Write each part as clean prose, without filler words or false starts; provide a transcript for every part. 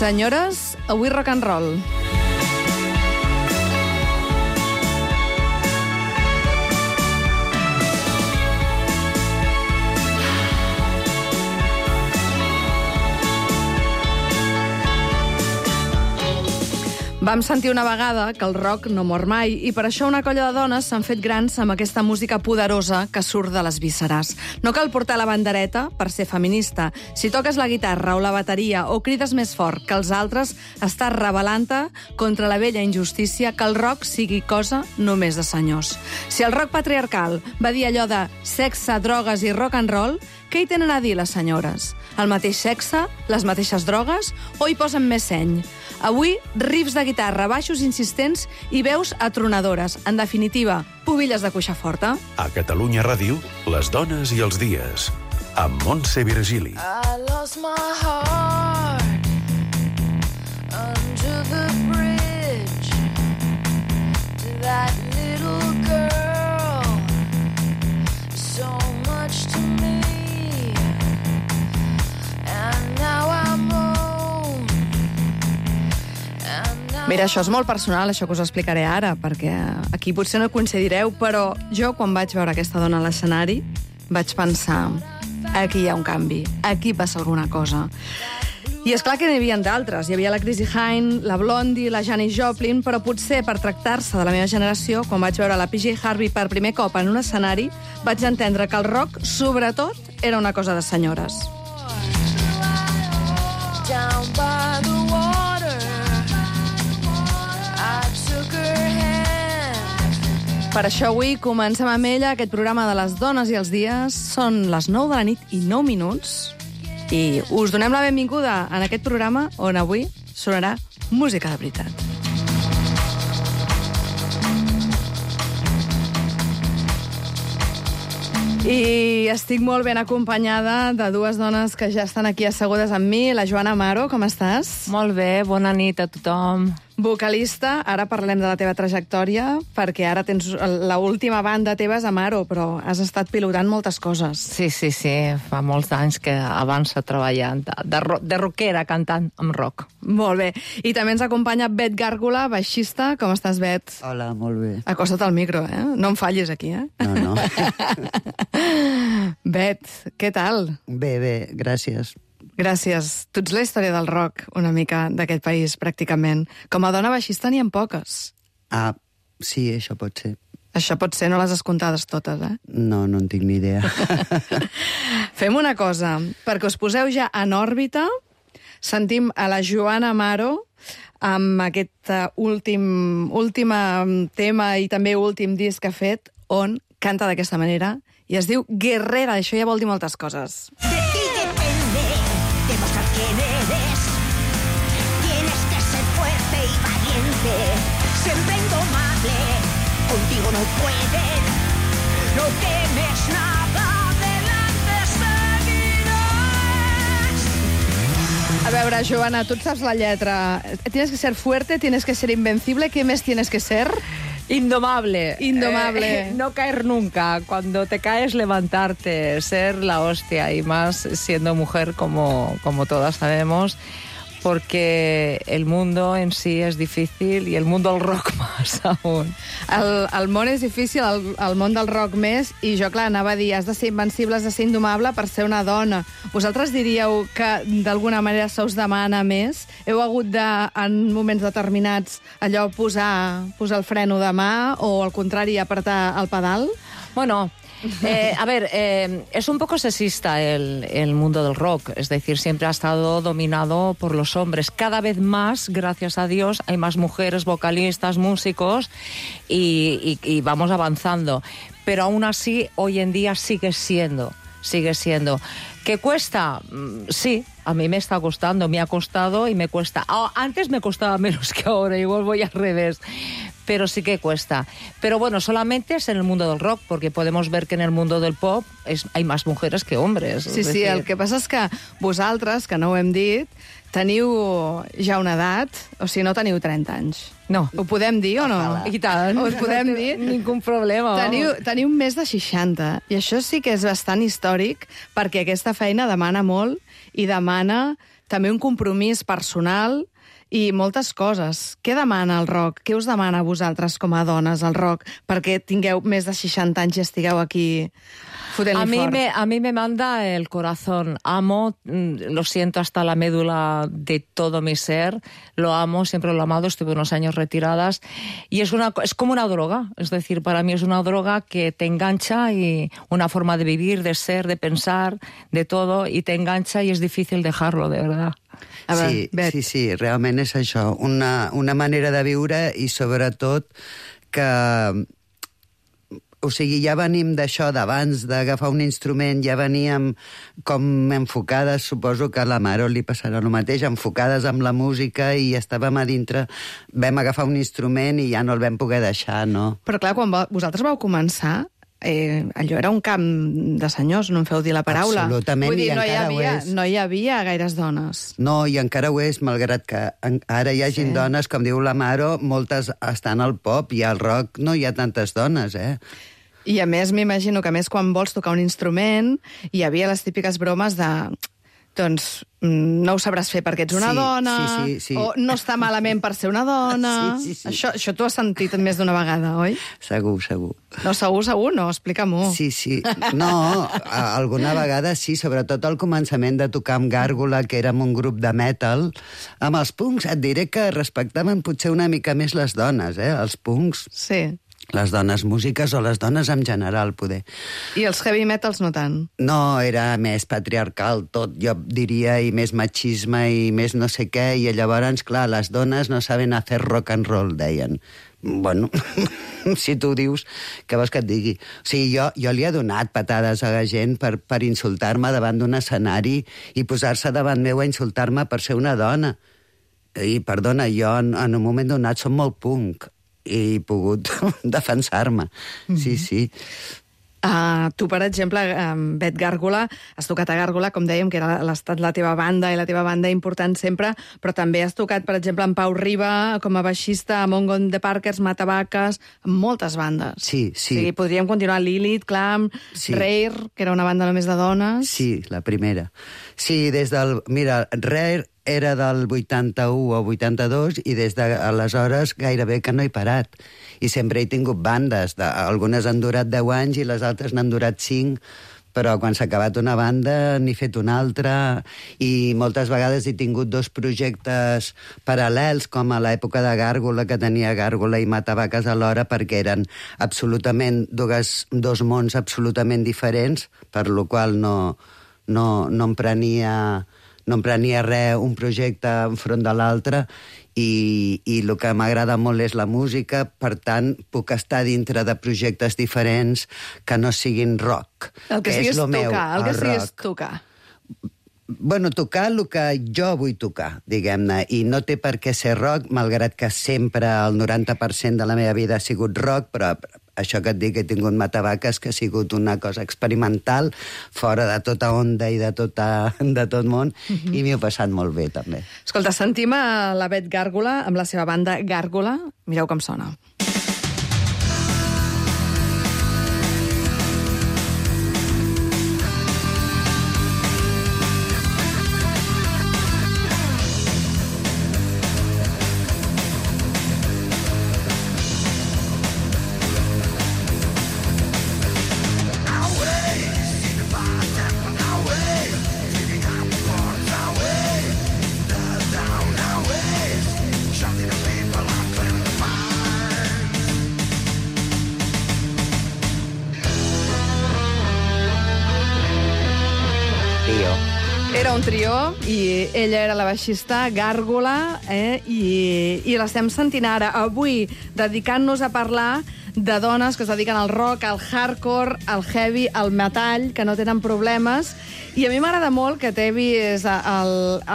Senyores, avui rock and roll. Vam sentir una vegada que el rock no mor mai i per això una colla de dones s'han fet grans amb aquesta música poderosa que surt de les vísceres. No cal portar la bandereta per ser feminista. Si toques la guitarra o la bateria o crides més fort que els altres, estàs rebel·lant-te contra la vella injustícia que el rock sigui cosa només de senyors. Si el rock patriarcal va dir allò de sexe, drogues i rock and roll, què hi tenen a dir les senyores? El mateix sexe? Les mateixes drogues? O hi posen més seny? Avui, riffs de guitarra, baixos insistents i veus atronadores. En definitiva, pubilles de cuixa forta. A Catalunya Ràdio, les dones i els dies. Amb Montse Virgili. I lost my heart under the bridge to that little girl, so much to me, and now I'm alone. Mira, això és molt personal, això que us explicaré ara, perquè aquí potser no coincidireu, però jo, quan vaig veure aquesta dona a l'escenari, vaig pensar, aquí hi ha un canvi, aquí passa alguna cosa. I és clar que n'hi havia d'altres. Hi havia la Chrissie Hynde, la Blondie, la Janis Joplin, però potser per tractar-se de la meva generació, quan vaig veure la PJ Harvey per primer cop en un escenari, vaig entendre que el rock, sobretot, era una cosa de senyores. Down by the water, I took her hand. Per això avui comencem amb ella aquest programa de les dones i els dies. Són les 9 de la nit i 9 minuts. I us donem la benvinguda en aquest programa on avui sonarà música de veritat. I estic molt ben acompanyada de dues dones que ja estan aquí assegudes amb mi. La Joana Amaro, com estàs? Molt bé, bona nit a tothom. Vocalista, ara parlem de la teva trajectòria, perquè ara tens l'última banda teva és Amaro, però has estat pilotant moltes coses. Sí, fa molts anys que avança treballant de rockera, cantant amb rock. Molt bé. I també ens acompanya Bet Gàrgola, baixista. Com estàs, Bet? Hola, molt bé. Acosta't al micro, eh? No em fallis aquí, eh? No. Bet, què tal? Bé, gràcies. Gràcies. Tu ets la història del rock, una mica, d'aquest país, pràcticament. Com a dona baixista n'hi ha poques. Ah, sí, això pot ser. Això pot ser, no les has comptades totes, eh? No en tinc ni idea. Fem una cosa, perquè us poseu ja en òrbita, sentim a la Joana Amaro amb aquest últim tema i també últim disc que ha fet, on canta d'aquesta manera, i es diu Guerrera. Això ja vol dir moltes coses. De ti depende demostrar quién eres. Tienes que ser fuerte y valiente, siempre indomable. Contigo no pueden, no temes nada, adelante seguirás. A veure, Joana, tu et saps la lletra. Tienes que ser fuerte, tienes que ser invencible. ¿Qué més tienes que ser? Indomable. No caer nunca. Cuando te caes, levantarte, ser la hostia, y más siendo mujer, como todas sabemos, porque el mundo en sí és difícil i el món del rock més aún. El món és difícil, el món del rock més, i jo, clar, anava a dir, has de ser invencible, has de ser indomable per ser una dona. Vosaltres diríeu que d'alguna manera se us demana més? Heu hagut de, en moments determinats, allò posar el freno de mà o, al contrari, apretar el pedal? Bueno, es un poco sexista el mundo del rock, es decir, siempre ha estado dominado por los hombres. Cada vez más, gracias a Dios, hay más mujeres vocalistas, músicos, y vamos avanzando. Pero aún así, hoy en día sigue siendo. ¿Qué cuesta? Sí, a mí me está costando, me ha costado y me cuesta. Antes me costaba menos que ahora, igual voy al revés. Pero sí que cuesta. Pero bueno, solamente es en el mundo del rock, porque podemos ver que en el mundo del pop hay más mujeres que hombres. Sí, el que passa és que vosaltres, que no ho hem dit, teniu ja una edat, o sigui, no teniu 30 anys. No. Ho podem dir o no? I tant. Ho podem dir? Ningú problema. Teniu més de 60, i això sí que és bastant històric, perquè aquesta feina demana molt i demana també un compromís personal i moltes coses. Què demana el rock? Què us demana a vosaltres com a dones el rock? Perquè tingueu més de 60 anys i estigueu aquí fotent-li fort. A mí me manda el corazón. Amo, lo siento hasta la médula de todo mi ser. Lo amo, siempre lo he amado. Estuve unos años retiradas. Y es como una droga. Es decir, para mí es una droga que te engancha y una forma de vivir, de ser, de pensar, de todo. Y te engancha y es difícil dejarlo, de verdad. A veure, Bet. Sí, realment és això, una manera de viure i sobretot que... O sigui, ja venim d'això d'abans d'agafar un instrument, ja veníem com enfocades, suposo que a la Maro li passarà el mateix, enfocades amb la música i estàvem a dintre, vam agafar un instrument i ja no el vam poder deixar, no? Però clar, quan vosaltres vau començar, allò era un camp de senyors, no em feu dir la paraula. Absolutament, Vull dir, i encara ho és. No hi havia gaires dones. No, i encara ho és, malgrat que ara hi hagin dones, com diu la Maro, moltes estan al pop i al rock no hi ha tantes dones, I a més, m'imagino que a més quan vols tocar un instrument hi havia les típiques bromes de... Doncs no ho sabràs fer perquè ets una dona, sí. o no està malament per ser una dona... Sí. Això t'ho has sentit més d'una vegada, oi? Segur. No, segur, no, explica-m'ho. Sí. No, alguna vegada sí, sobretot al començament de tocar amb Gàrgola, que érem un grup de metal. Amb els punks et diré que respectaven potser una mica més les dones, els punks. Sí. Les dones músiques o les dones en general, poder. I els heavy metals no tant? No, era més patriarcal tot, jo diria, i més machisme i més no sé què, i llavors, clar, les dones no saben hacer rock and roll, deien. Bueno, si tu dius, què vols que et digui? O sigui, jo li he donat patades a la gent per insultar-me davant d'un escenari i posar-se davant meu a insultar-me per ser una dona. I, perdona, jo en un moment donat som molt punk i he pogut defensar-me. Sí. Tu, per exemple, Bet Gàrgola, has tocat a Gàrgola, com dèiem, que era la teva banda i la teva banda important sempre, però també has tocat, per exemple, amb Pau Riba, com a baixista, a Mongo and the Parkers, Matavaques, amb moltes bandes. Sí. O sigui, podríem continuar Lilith, Clam, Rare, que era una banda només de dones. Sí, la primera. Sí, des del... Mira, Rare era del 81 o 82 i des d'aleshores gairebé que no he parat. I sempre he tingut bandes. Algunes han durat 10 anys i les altres n'han durat 5, però quan s'ha acabat una banda n'he fet una altra i moltes vegades he tingut 2 projectes paral·lels, com a l'època de Gàrgola, que tenia Gàrgola i Matavaques alhora, perquè eren absolutament dos mons absolutament diferents, per lo qual no em prenia res un projecte enfront de l'altre i el que m'agrada molt és la música, per tant puc estar dintre de projectes diferents que no siguin rock. El que siguis tocar. Bueno, tocar el que jo vull tocar, diguem-ne, i no té per què ser rock, malgrat que sempre el 90% de la meva vida ha sigut rock, però això que et dic, he tingut Matavaques, que ha sigut una cosa experimental, fora de tota onda i de tot món, i m'hi he passat molt bé, també. Escolta, sentim a la Bet Gàrgola amb la seva banda Gàrgola. Mireu com sona. Era un trio i ella era la baixista Gàrgola i l'estem sentint ara, avui, dedicant-nos a parlar de dones que es dediquen al rock, al hardcore, al heavy, al metall, que no tenen problemes. I a mi m'agrada molt que t'he vist a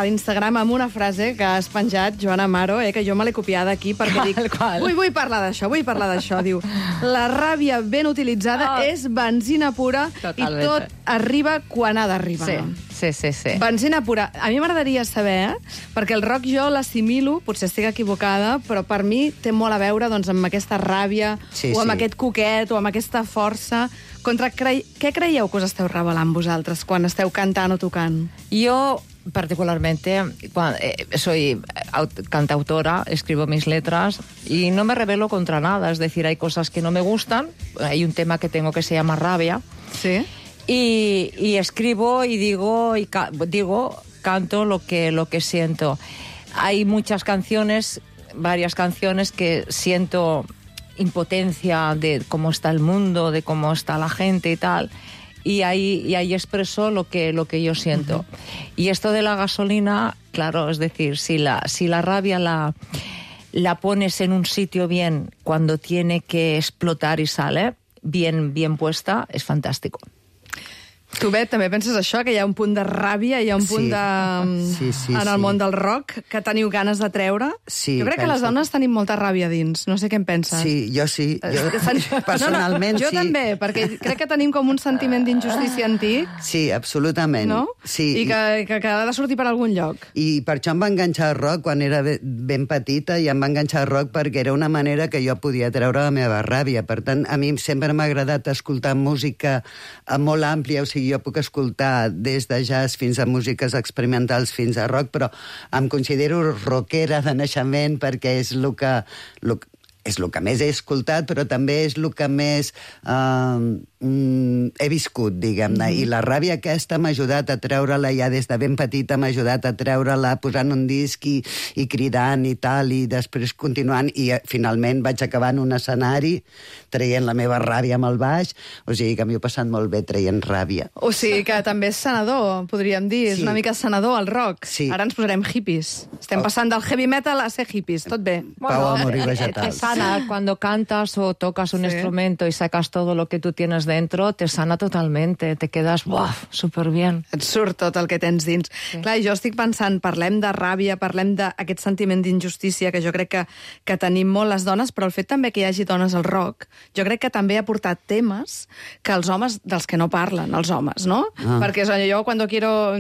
l'Instagram amb una frase que has penjat, Joan Amaro, que jo me l'he copiada aquí perquè dic, vull parlar d'això. Diu, la ràbia ben utilitzada és benzina pura. Totalment. I tot arriba quan ha d'arribar. Sí. Benzina pura. A mi m'agradaria saber, perquè el rock jo l'assimilo, potser estic equivocada, però per mi té molt a veure doncs, amb aquesta ràbia, o amb aquest coquet, o amb aquesta força. Què creieu que us esteu revelant vosaltres quan esteu cantant o tocant? Jo particularmente, soy cantautora, escribo mis letras y no me rebelo contra nada. Es decir, hay cosas que no me gustan. Hay un tema que tengo que se llama Rabia. Sí. Y escribo y digo, canto lo que siento. Hay muchas canciones, varias canciones que siento impotencia de cómo está el mundo, de cómo está la gente y tal. Y ahí expreso lo que yo siento. Uh-huh. Y esto de la gasolina, claro, es decir, si la rabia la pones en un sitio bien, cuando tiene que explotar y sale bien puesta, es fantástico. Tu, Bet, també penses això, que hi ha un punt de ràbia, hi ha un punt en el món del rock que teniu ganes de treure? Sí, jo crec que les dones tenim molta ràbia dins, no sé què en penses. Sí, jo sí. Personalment, jo sí. Jo també, perquè crec que tenim com un sentiment d'injustícia antic. Sí, absolutament. No? Sí. I que ha de sortir per algun lloc. I per això em va enganxar el rock quan era ben petita, i em va enganxar el rock perquè era una manera que jo podia treure la meva ràbia. Per tant, a mi sempre m'ha agradat escoltar música molt àmplia, o sigui, jo puc escoltar des de jazz fins a músiques experimentals fins a rock, però em considero rockera de naixement perquè és el que més he escoltat, però també és el que més he viscut, diguem-ne. I la ràbia aquesta m'ha ajudat a treure-la ja des de ben petita, m'ha ajudat a treure-la posant un disc i cridant i tal, i després continuant, i finalment vaig acabar en un escenari traient la meva ràbia amb el baix, o sigui que m'hi he passat molt bé traient ràbia. O sigui que també és sanador, podríem dir, és una mica sanador el rock. Sí. Ara ens posarem hippies. Estem passant del heavy metal a ser hippies, tot bé. Pau, amor i Te vegetals. sana cuando cantas o tocas un instrumento y sacas todo lo que tú tienes dentro, te sana totalmente, te quedas súper bien. Et surt tot el que tens dins. Sí. Clar, jo estic pensant, parlem de ràbia, parlem d'aquest sentiment d'injustícia que jo crec que tenim molt les dones, però el fet també que hi hagi dones al rock, jo crec que també ha portat temes que els homes, dels que no parlen, els homes, no? Perquè jo quan quiero...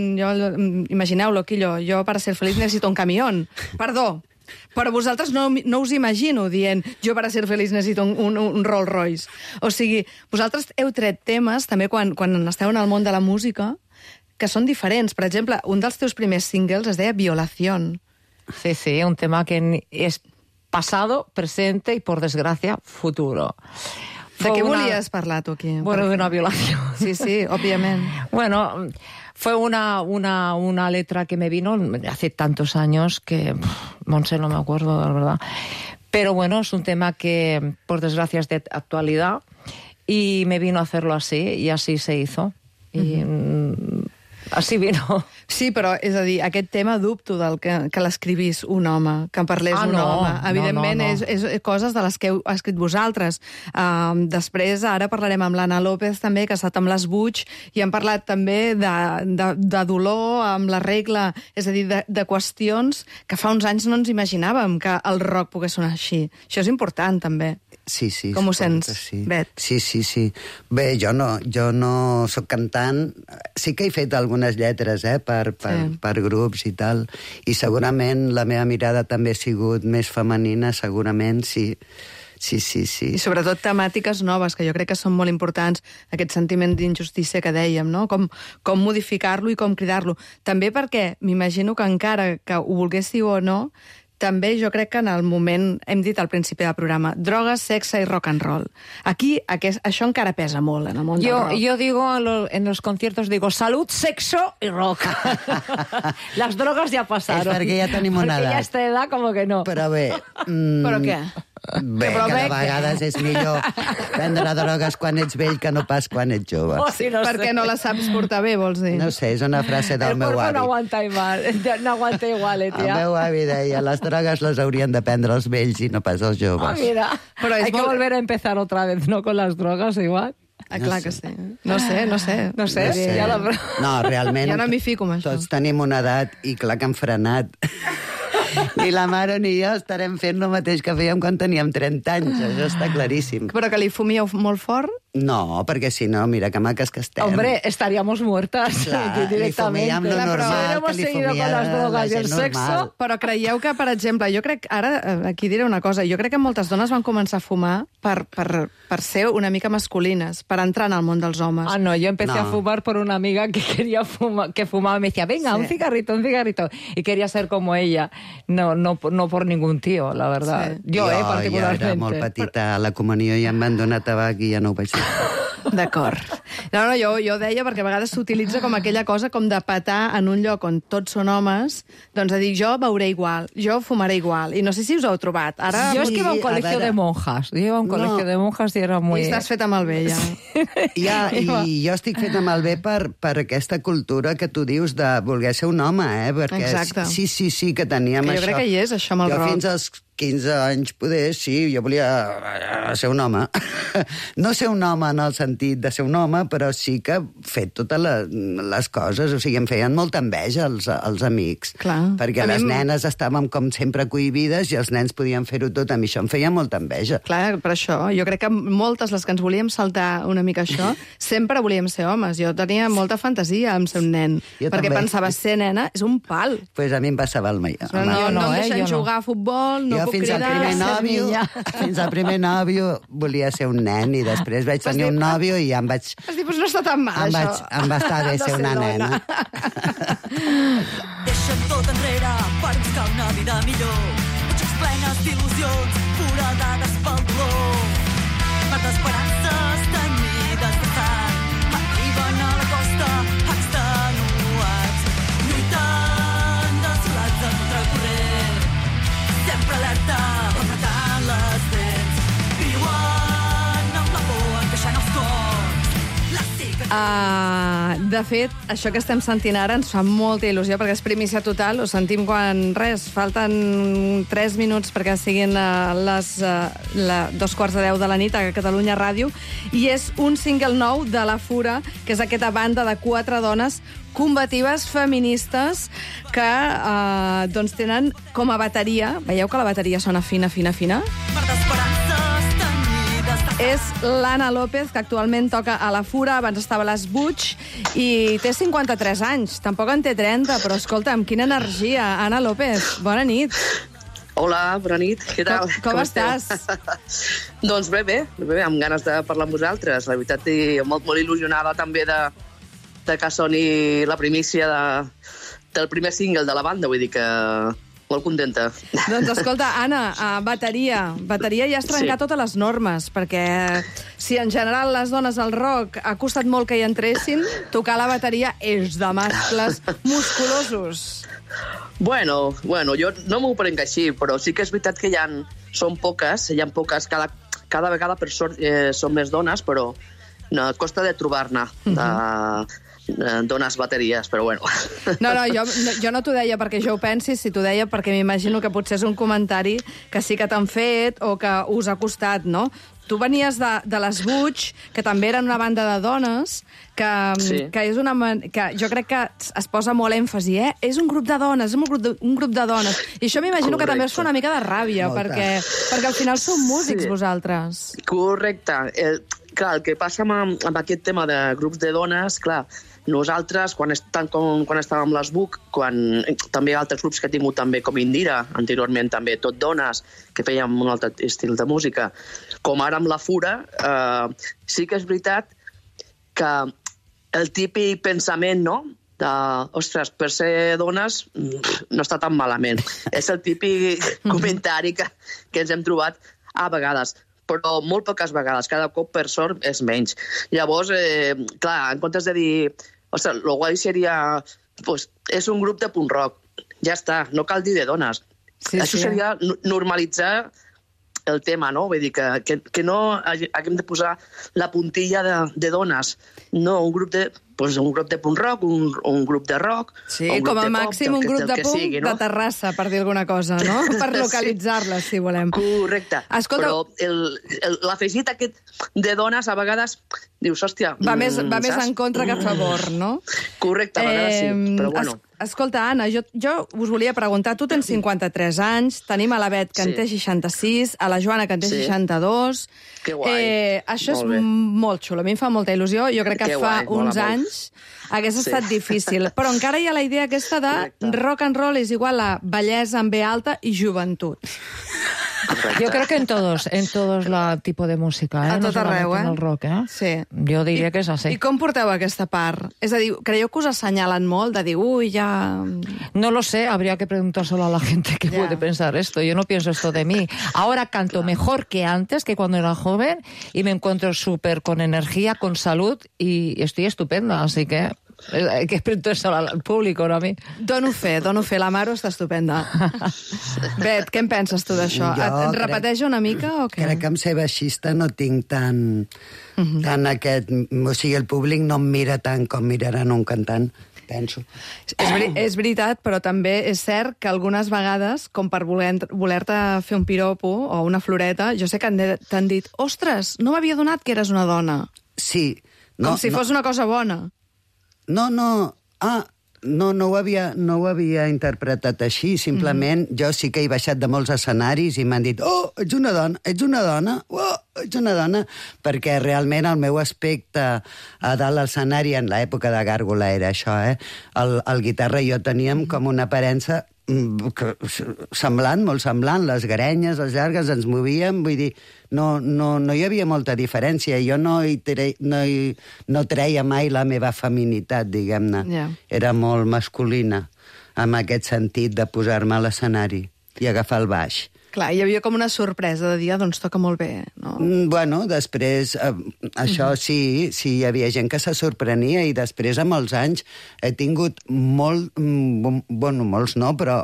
Imagineu-lo, Quillo, jo para ser feliz necesito un camión. Perdó, però vosaltres no us imagino dient jo per a ser feliç necessito un Rolls Royce. O sigui, vosaltres heu tret temes també quan esteu en el món de la música que són diferents. Per exemple, un dels teus primers singles es deia Violación. Sí, un tema que es pasado, presente y, por desgracia, futuro. De què volies parlar tu aquí? Bueno, de una violación. Sí, òbviament. Bueno, fue una letra que me vino hace tantos años que, Monse, no me acuerdo, la verdad. Pero bueno, es un tema que, por desgracia, es de actualidad y me vino a hacerlo así y así se hizo. I així vino. Sí, però, és a dir, aquest tema dubto del que l'escrivís un home, que en parlés un home. Evidentment, no. És coses de les que heu escrit vosaltres. Després, ara parlarem amb l'Anna López, també, que ha estat amb les Butch, i hem parlat també de dolor amb la regla, és a dir, de qüestions que fa uns anys no ens imaginàvem que el rock pogués sonar així. Això és important, també. Sí. Com ho sents, sí. Bet? Sí. Bé, jo no soc cantant. Sí que he fet algunes lletres, per grups i tal. I segurament la meva mirada també ha sigut més femenina, segurament, sí. Sí. I sobretot temàtiques noves, que jo crec que són molt importants, aquest sentiment d'injustícia que dèiem, no? Com modificar-lo i com cridar-lo. També perquè m'imagino que encara que ho volguéssiu o no, també jo crec que en el moment, hem dit al principi del programa, drogues, sexe i rock and roll. Aquí això encara pesa molt en el món del rock. Yo digo en los conciertos, digo, salud, sexo y rock. Las drogas ya pasaron. És perquè ja tenim una edat. Perquè ja esta edad como que no. Però bé... Però què? Bé, que de vegades és millor prendre drogues quan ets vell que no pas quan ets jove. Sí, no Perquè no la saps portar bé, vols dir? No sé, és una frase del meu avi. El cuerpo no aguanta igual, El tía. meu avi deia, les drogues les haurien de prendre els vells i no pas els joves. Mira, però hay que volver a empezar otra vez, ¿no? Con las drogas igual. Clar que sí. No sé. No, realment... Ja no m'hi fico amb això. Tots tenim una edat i clar que hem frenat. Ni la mare ni jo estarem fent el mateix que fèiem quan teníem 30 anys. Això està claríssim. Però que li fumíeu molt fort? No, perquè si no, mira que maques que estem. Hombre, estaríamos muertas Clar, directamente. li fumíem lo Claro, normal, pero hemos que li seguido con fumia las drogas la y el gent sexo. normal. Però creieu que, per exemple, jo crec... Ara, aquí diré una cosa. Jo crec que moltes dones van començar a fumar per ser una mica masculines, per entrar en el món dels homes. Ah, no, yo empecé No. a fumar por una amiga que quería fumar, que fumaba y me decía, venga, Sí. un cigarrito. Y quería ser como ella. No por ningún tío, la verdad. Sí. Yo, particularmente. Jo era molt petita, a la comunió ja em van donar tabac i ja no ho vaig fer. D'acord. No, jo deia perquè a vegades s'utilitza com aquella cosa com de petar en un lloc on tots són homes, doncs de dir, jo beuré igual, jo fumaré igual. I no sé si us ho heu trobat. Ara Yo es Sí, que iba a un a colegio veure. de monjas. Yo iba a un colegio de monjas y era muy... I estàs feta malbé, ja. I jo estic feta malbé per aquesta cultura que tu dius de voler ser un home, perquè Exacte. sí, que teníem Que jo això. crec que hi és, això, amb el jo rock. fins als 15 anys, poder, sí, jo volia ser un home. No ser un home en el sentit de ser un home, però sí que fer totes les coses. O sigui, em feien molta enveja els amics. Clar. Perquè A mi les em- nenes estàvem com sempre cohibides i els nens podien fer-ho tot. A mi això em feia molta enveja. Clar, per això, jo crec que moltes, les que ens volíem saltar una mica això, sempre volíem ser homes. Jo tenia molta fantasia en ser un nen, Jo perquè també. pensava, ser nena és un pal. Pues a mi em passava el mai. No, no, no, em deixen jo no. jugar a futbol, no jo puc fins al cridar... primer ser nòvio, niña. fins al primer nòvio volia ser un nen i després vaig tenir un nòvio i ja em vaig... Vas dir, pues no està tan mal, això. Em va estar bé De ser una dona. nena. Deixa'm tot enrere per buscar una vida millor. Potser plenes d'il·lusions, foradades pel dolor. Per d'esperances tenyides de sang arriben a la costa extenuats, lluitant desolats en contracorrent, sempre alerta, apretant les dents, viuen amb la por encaixant els cors. Les cicatrius De fet, això que estem sentint ara ens fa molta il·lusió, perquè és primícia total. Ho sentim quan, falten 3 minuts perquè siguin les 2:15 de la nit a Catalunya Ràdio, i és un single nou de La Fura, que és aquesta banda de 4 dones combatives, feministes, que doncs tenen com a bateria... Veieu que la bateria sona fina, fina, fina? per d'esperances tenyides de És l'Anna López, que actualment toca a La Fura, abans estava a les Butch, i té 53 anys. Tampoc en té 30, però escolta'm, quina energia. Anna López, bona nit. Hola, bona nit, què tal? Com estàs? Doncs bé, amb ganes de parlar amb vosaltres. La veritat, i molt il·lusionada també de que soni la primícia del primer single de la banda, vull dir que molt contenta. Doncs escolta, Anna, bateria. Bateria ja has trencat Sí. totes les normes, perquè si en general les dones al rock ha costat molt que hi entressin, tocar la bateria és de mascles musculosos. Bueno, jo no m'ho prenc així, però sí que és veritat que són poques, cada vegada per sort són més dones, però no, costa de trobar-ne dones bateries, però bueno. No, jo no t'ho deia perquè jo ho pensis, si t'ho deia perquè m'imagino que potser és un comentari que sí que t'han fet o que us ha costat, no? Tu venies de les Butch, que també eren una banda de dones, Sí. que és que jo crec que es posa molt èmfasi, És un grup de dones, és un grup de dones. I això m'imagino que també us fa una mica de ràbia, Molta. perquè al final sou músics, Sí. vosaltres. Correcte. Clar, el que passa amb aquest tema de grups de dones, clar, nosaltres, quan estàvem amb les Buc, també altres grups que he tingut també, com Indira, anteriorment també tot dones, que fèiem un altre estil de música, com ara amb La Fura, sí que és veritat que el típic pensament, no?, ostres, per ser dones no està tan malament. És el típic comentari que ens hem trobat a vegades, però molt poques vegades, cada cop per sort és menys. Llavors, clar, en comptes de dir, ostres, el guai seria, pues, és un grup de punk rock, ja està, no cal dir de dones. Sí, Això sí. seria normalitzar el tema, no? Vull dir que no haguem de posar la puntilla de dones. No, un grup de punk rock, un grup de rock, Sí, o un com grup a de pop, màxim un grup del de que punk sigui, no? de Terrassa, per dir alguna cosa, no? Per localitzar-les, si volem. Correcte. Escolta, però l'afegit aquest de dones a vegades dius, hòstia... va més saps? en contra que a favor, no? Correcte, a vegades sí, però bueno. Escolta, Anna, jo us volia preguntar, tu tens 53 anys, tenim a la Bet, que en té 66, a la Joana, que en té 62... Que guai. Això és Molt bé. molt xulo, a mi em fa molta il·lusió. Jo crec que Que fa guai, mola uns molt. anys hagués estat difícil, però encara hi ha la idea aquesta de rock and roll és igual a bellesa amb B alta i joventut. Correcte. Yo creo que en todos los tipos de música, ¿eh? A No tot arreu, solamente en el rock, ¿eh? Sí. Jo diria que és així. I com porteu aquesta part? És a dir, creieu que us assenyalen molt de dir, ui, ja... No lo sé, habría que preguntárselo a la gente que Ya. puede pensar esto. Yo no pienso esto de mí. Ahora canto mejor que antes, que cuando era joven, y me encuentro súper con energía, con salud, y estoy estupenda, así que hay que preguntárselo al público, no a mi. Dono fe, la Maro està estupenda. Bet, què en penses tu d'això? Jo Et crec- repeteix una mica o què? Crec que amb ser baixista no tinc tant aquest... O sigui, el públic no em mira tant com miraran un cantant, penso. És veritat, però també és cert que algunes vegades, com per voler-te fer un piropo o una floreta, jo sé que t'han dit, ostres, no m'havia donat que eres una dona. Sí. Com si fos una cosa bona. No ho havia interpretat així, simplement jo sí que he baixat de molts escenaris i m'han dit, oh, ets una dona, oh, ets una dona, perquè realment el meu aspecte a dalt de l'escenari en l'època de Gàrgola era això, el guitarra i jo teníem com una aparença semblant, molt semblant, les grenyes, les llargues, ens movíem, vull dir, no hi havia molta diferència, jo no treia mai la meva feminitat, diguem-ne. Ja. Era molt masculina, en aquest sentit de posar-me a l'escenari i agafar el baix. Clar, hi havia com una sorpresa de dir, doncs toca molt bé, no? Bueno, després, això sí, hi havia gent que se sorprenia i després, amb els anys, he tingut molts no, però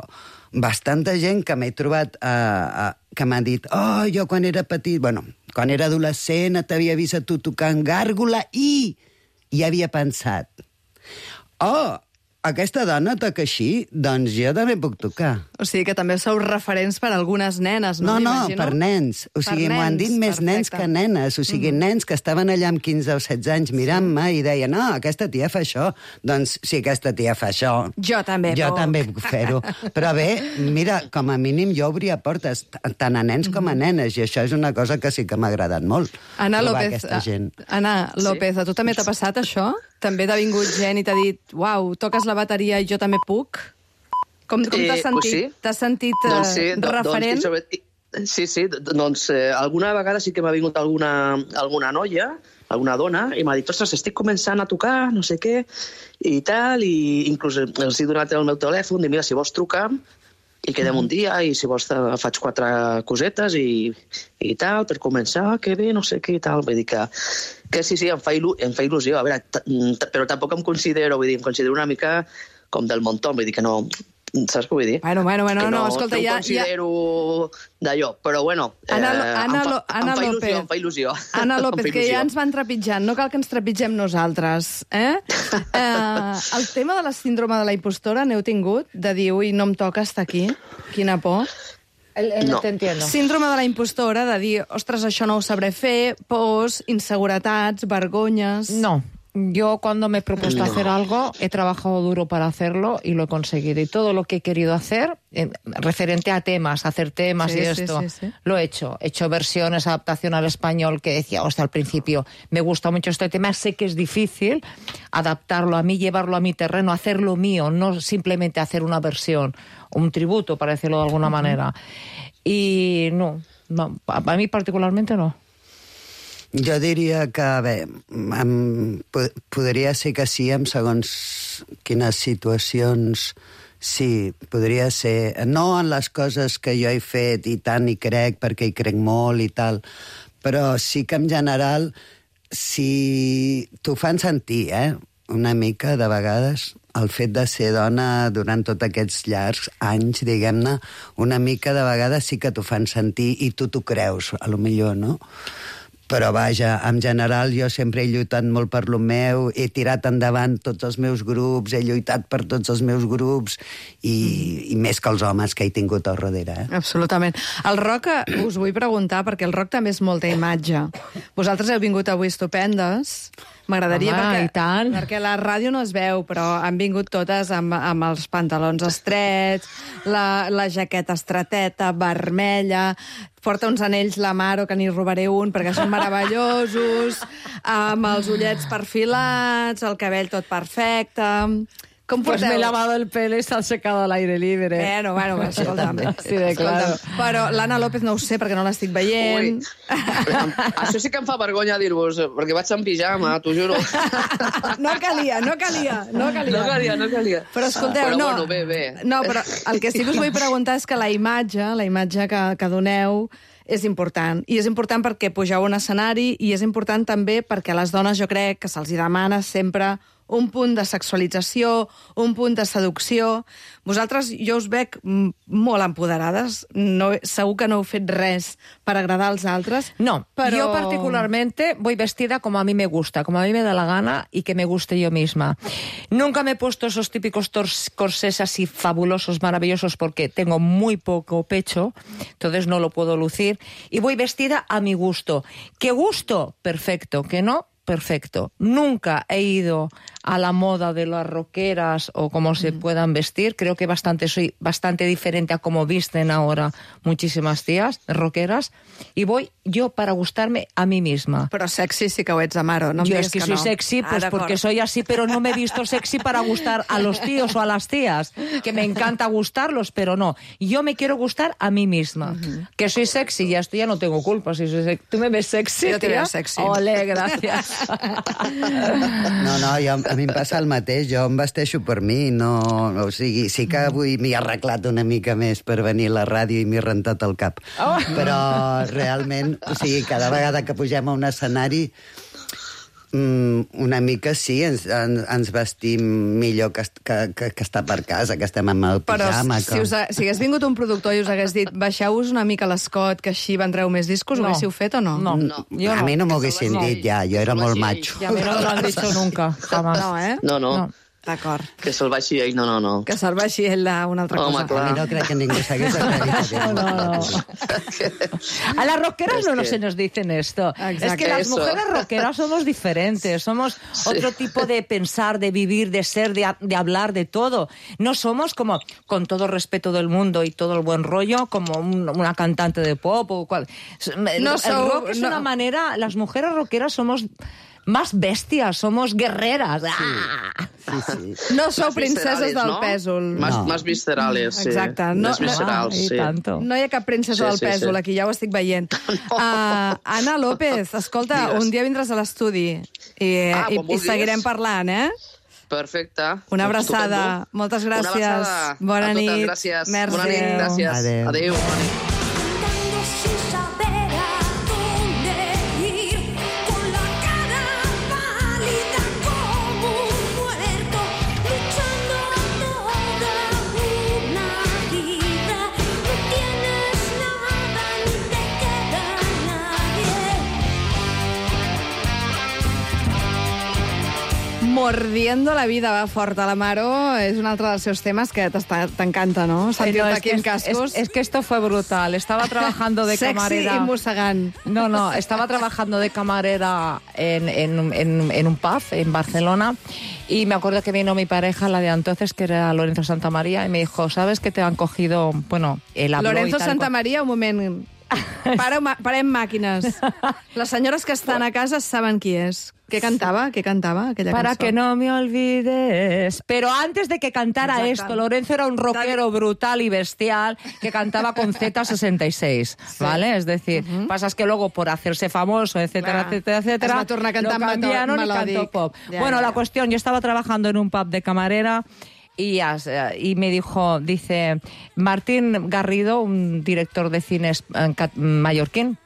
bastanta gent que m'he trobat que m'han dit, oh, jo quan era petit, quan era adolescent t'havia vist a tu tocant Gàrgola i havia pensat, oh, aquesta dona toca així, doncs jo també puc tocar. O sigui que també sou referents per a algunes nenes, no? No, m'imagino? per nens. O sigui, m'ho han dit més nens que nenes. O sigui, nens que estaven allà amb 15 o 16 anys mirant-me i deien, no, aquesta tia fa això. Doncs si aquesta tia fa això... Jo també puc fer-ho. Però bé, mira, com a mínim jo obria portes tant a nens com a nenes i això és una cosa que sí que m'ha agradat molt. Anna trobar López, aquesta gent. Anna López, a tu també t'ha passat això? També t'ha vingut gent i t'ha dit, uau, toques la bateria i jo també puc? Com t'has sentit? Pues sí. T'has sentit Doncs sí, referent? Sí, alguna vegada sí que m'ha vingut alguna noia, alguna dona, i m'ha dit, ostres, estic començant a tocar, no sé què, i tal, i inclús els he donat el meu telèfon, i mira, si vols trucar, i quedem un dia, i si vols faig 4 cosetes i tal, per començar, que bé, no sé què i tal. Vull dir que sí, em fa il·lusió. A veure, però tampoc em considero una mica com del montón, vull dir que no... Saps què vull dir? Bueno, no, escolta, ja... No em considero d'allò, però bueno, em fa il·lusió. Anna López, que ja ens van trepitjant, no cal que ens trepitgem nosaltres, el tema de la síndrome de la impostora n'heu tingut? De dir, ui, no em toca estar aquí? Quina por. No te entiendo. Síndrome de la impostora, de dir, ostres, això no ho sabré fer, pors, inseguretats, vergonyes... No. Yo cuando me he propuesto hacer algo, he trabajado duro para hacerlo y lo he conseguido. Y todo lo que he querido hacer, referente a temas, hacer temas Sí, y sí, esto, sí. lo he hecho. He hecho versiones, adaptación al español, que decía, hostia, al principio, me gusta mucho este tema, sé que es difícil adaptarlo a mí, llevarlo a mi terreno, hacerlo mío, no simplemente hacer una versión, un tributo, para decirlo de alguna manera. Y no, a mí particularmente no. Jo diria que, bé, podria ser que sí, en segons quines situacions, sí, podria ser. No en les coses que jo he fet i tant hi crec, perquè hi crec molt i tal, però sí que en general, si t'ho fan sentir, una mica, de vegades, el fet de ser dona durant tots aquests llargs anys, diguem-ne, una mica de vegades sí que t'ho fan sentir i tu t'ho creus, a lo millor, no? Però vaja, en general jo sempre he lluitat molt per lo meu, he tirat endavant tots els meus grups, he lluitat per tots els meus grups i més que els homes que he tingut al darrere. Absolutament. El rock, us vull preguntar, perquè el rock també és molta imatge. Vosaltres heu vingut avui estupendes, M'agradaria Home, i tant. perquè la ràdio no es veu, però han vingut totes amb els pantalons estrets, la jaqueta estreteta, vermella, porta uns anells la Maro, que n'hi robaré un, perquè són meravellosos, amb els ullets perfilats, el cabell tot perfecte... Com Pues porteu? me he lavado el pelo y se ha secado al aire libre. Bueno, escolta'm. Sí, de claro. Però l'Anna López no ho sé, perquè no l'estic veient. Això sí que em fa vergonya dir-vos, perquè vaig en pijama, t'ho juro. No calia. No calia. Però escolteu, però, no. Bueno, bé. No, però el que sí que us vull preguntar és que la imatge que doneu és important. I és important perquè pugeu a un escenari i és important també perquè a les dones jo crec que se'ls demana sempre un punt de sexualització, un punt de seducció. Vosaltres, jo us veig molt empoderades. No, segur que no heu fet res per agradar als altres. No, pero yo particularmente voy vestida como a mí me gusta, como a mí me da la gana y que me guste yo misma. Nunca me he puesto esos típicos corsés así fabulosos, maravillosos, porque tengo muy poco pecho, entonces no lo puedo lucir. Y voy vestida a mi gusto. ¿Qué gusto? Perfecto. ¿Que no? Perfecto. Nunca he ido a la moda de las rockeras o cómo se puedan vestir. Creo que soy bastante diferente a cómo visten ahora muchísimas tías rockeras. Y voy yo para gustarme a mí misma. Però sexy sí que ho ets, Amaro. No em Yo diguis es que que soy no. sexy pues d'acord. porque soy así, pero no me he visto sexy para gustar a los tíos o a las tías, que me encanta gustarlos, pero no. Yo me quiero gustar a mí misma. Que soy sexy, ya esto ya no tengo culpa. Si soy ¿Tú me ves sexy, Yo te tía? veo sexy. Ole, gracias. No, a mi em passa el mateix, jo em vesteixo per mi, no... O sigui, sí que avui m'hi he arreglat una mica més per venir a la ràdio i m'he rentat el cap. Oh. Però realment, o sigui, cada vegada que pugem a un escenari, una mica sí, ens vestim millor que estar per casa, que estem amb el Però pijama. si hagués vingut un productor i us hagués dit baixeu-vos una mica l'escot, que així vendreu més discos, No. ho haguéssiu fet o no? No. A mi no m'ho haguessin dit ja, jo era molt macho. Ya me no lo han dicho nunca, jamás. No, eh? No. D'acord. Que se'l baixi ell, no. Que serveixi ell una altra Home, cosa. clar. A mi no crec que ningú s'hagués acreditat. No. A las rockeras no se nos dicen esto. Exacto. Es que las Eso. mujeres rockeras somos diferentes, somos otro tipo de pensar, de vivir, de ser, de hablar, de todo. No somos como, con todo respeto del mundo y todo el buen rollo, como una cantante de pop o cual. El rock es una manera, las mujeres rockeras somos más bestias, somos guerreras. ¡Ah! No sou Más princeses viscerales, del ¿no? pèsol. Más viscerales, sí. Exacte. Més viscerals, y sí. tanto. No hi ha cap princesa del pèsol, aquí ja ho estic veient. Anna López, escolta, Digues. un dia vindràs a l'estudi i quan vulguis. seguirem parlant, eh? Perfecte. Una abraçada. Estupendo. Moltes Una gràcies. abraçada. Bona A totes, nit. gràcies. Merci. Bona nit, gràcies. Adéu. Adéu. Bona nit. Andando sin saber a dónde ir, con la cara pálida como un muerto, luchando toda una vida. No tienes nada ni te queda nadie. Mordiendo la vida va fort a l'Amaro és un altre dels seus temes que t'encanta, no? Sentir-te No, es aquí que en cascos. es que esto fue brutal. Estaba trabajando de camarera. Sexy i mossegant. No, estaba trabajando de camarera en un pub en Barcelona y me acuerdo que vino mi pareja, la de entonces, que era Lorenzo Santamaría, y me dijo, ¿sabes que te han cogido, bueno, el habló Lorenzo y tal, Santamaría, un moment. Parem màquines. Les senyores que estan a casa saben qui és. Què cantava aquella Para cançó? que no me olvides. Pero antes de que cantara Exacte. esto, Lorenzo era un rockero brutal y bestial que cantaba con Z66, ¿vale? Es decir, pasa es que luego por hacerse famoso, etcétera, Clar. etcétera, etcétera, Es va tornar a cantar lo cambiaron y melòdic. cantó pop. Ja, bueno, ja. la cuestión, yo estaba trabajando en un pub de camarera y me dijo, dice, Martín Garrido, un director de cine mallorquín,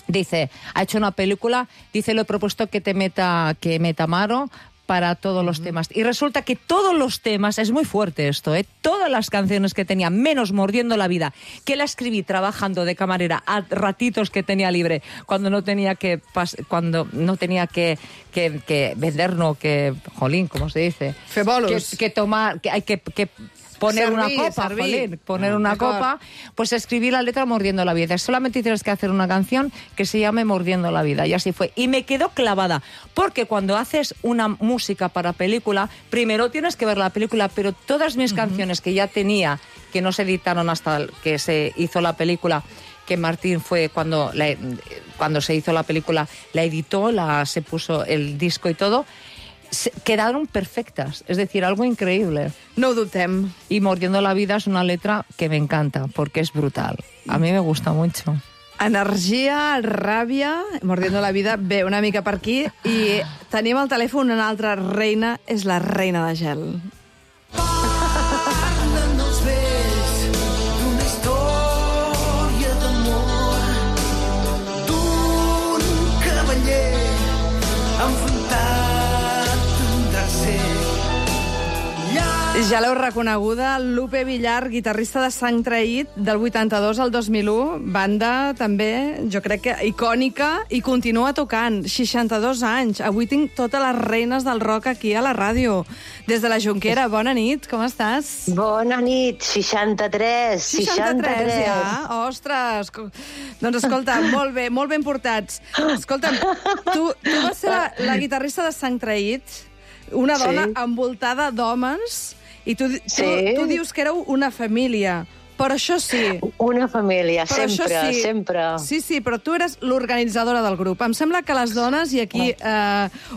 dice, ha hecho una película, dice, le he propuesto que meta Maro para todos los temas. Y resulta que todos los temas, es muy fuerte esto, todas las canciones que tenía, menos Mordiendo la vida, que la escribí trabajando de camarera a ratitos que tenía libre, cuando no tenía que vender, no, que, jolín, ¿cómo se dice? Fer bolos. Que tomar, que hay que poner una Servir, copa, servir. jolín, poner una D'acord. copa, pues escribí la letra Mordiendo la vida. Solamente tienes que hacer una canción que se llame Mordiendo la vida. Y así fue. Y me quedó clavada. Porque cuando haces una música para película, primero tienes que ver la película, pero todas mis canciones que ya tenía, que no se editaron hasta que se hizo la película, que Martín fue cuando se hizo la película, la editó, se puso el disco y todo, quedaron perfectas, es decir, algo increíble. No ho dubtem. Y Mordiendo la vida es una letra que me encanta, porque es brutal. A mí me gusta mucho. Energia, ràbia, Mordiendo la vida, ve una mica per aquí, i tenim al telèfon una altra reina, és la reina de gel. Parlen els vells d'una història d'amor, d'un cavaller enfrontat d'un tercer. Ja l'heu reconeguda, Lupe Villar, guitarrista de Sang Traït, del 82 al 2001, banda també, jo crec que icònica, i continua tocant, 62 anys. Avui tinc totes les reines del rock aquí a la ràdio. Des de la Jonquera, bona nit, com estàs? Bona nit, 63, 63, ja? Ostres! Doncs escolta, molt ben portats. Escolta'm, tu vas ser la guitarrista de Sang Traït, una dona envoltada d'homes, i tu dius que éreu una família. Però això sí. Una família, Però això sempre, sí. sempre. Sí, però tu eres l'organitzadora del grup. Em sembla que les dones, i aquí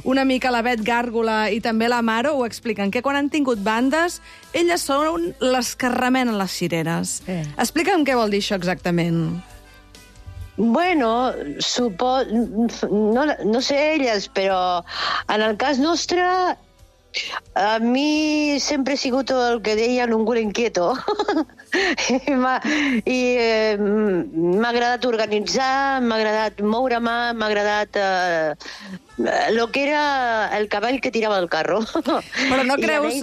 una mica la Bet Gàrgola i també la Maro ho expliquen, que quan han tingut bandes, elles són les que remenen les cireres. Explica'm què vol dir això exactament. Bueno, no sé elles, però en el cas nostre, a mi sempre he sigut el que deien un culo inquieto. I m'ha agradat organitzar, m'ha agradat moure-me, m'ha agradat lo que era el cavall que tirava el carro. Però no creus...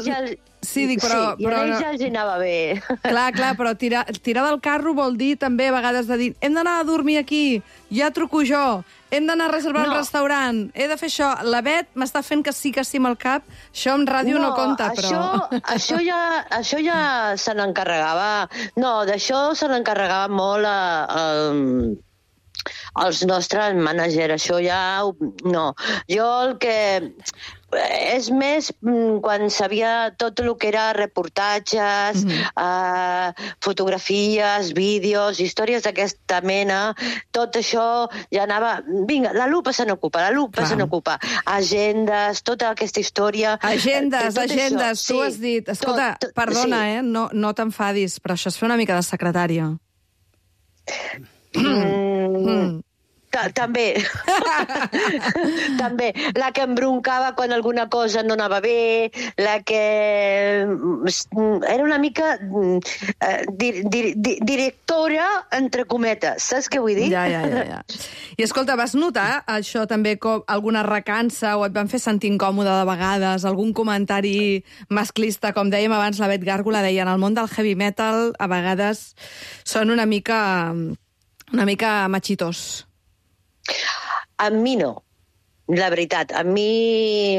Sí, dic, però... Sí, i a ells ja els anava bé. Clar, però tirar del carro vol dir també a vegades de dir hem d'anar a dormir aquí, ja truco jo, hem d'anar a reservar un restaurant, he de fer això. La Bet m'està fent que sí amb el cap, això en ràdio no compta, però... Això ja se n'encarregava... No, d'això se n'encarregava molt els nostres mànagers, això ja... No, jo el que... És més quan sabia tot el que era reportatges, fotografies, vídeos, històries d'aquesta mena, tot això ja anava... Vinga, la Lupa se n'ocupa, agendes, tota aquesta història... Agendes, tu has dit... Escolta, perdona, no t'enfadis, però això és fer una mica de secretària. També. També. La que embroncava quan alguna cosa no anava bé, la que... Era una mica directora, entre cometes. Saps què vull dir? Ja. I escolta, vas notar això també com alguna recança o et van fer sentir incòmode de vegades, algun comentari masclista, com dèiem abans, la Bet Gàrgola deia, en el món del heavy metal a vegades són una mica machitos. A mi no, la veritat. A mi